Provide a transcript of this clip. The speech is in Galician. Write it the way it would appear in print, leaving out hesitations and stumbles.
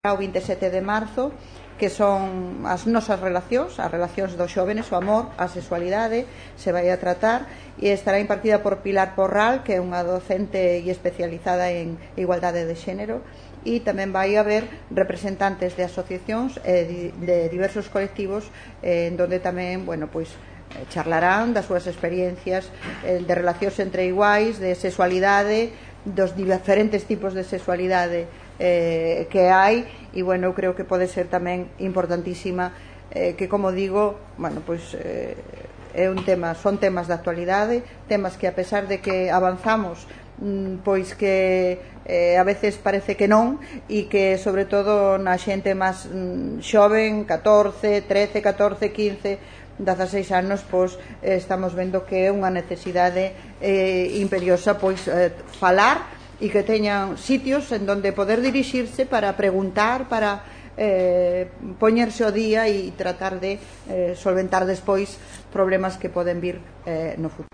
O 27 de marzo, que son as nosas relacións, as relacións dos xóvenes, o amor, a sexualidade, se vai a tratar, e estará impartida por Pilar Porral, que é unha docente e especializada en igualdade de xénero, e tamén vai haber representantes de asociacións e de diversos colectivos, en donde tamén, charlarán das súas experiencias de relacións entre iguais, de sexualidade, dos diferentes tipos de sexualidade que hai, e eu creo que pode ser tamén importantísima, que, como digo, é un tema, son temas de actualidade, temas que, a pesar de que avanzamos, pois que a veces parece que non, e que sobre todo na xente máis xoven, 14, 13, 14, 15, 16 anos, pois estamos vendo que é unha necesidade imperiosa falar, e que teñan sitios en donde poder dirixirse para preguntar, para poñerse ao día e tratar de solventar despois problemas que poden vir no futuro.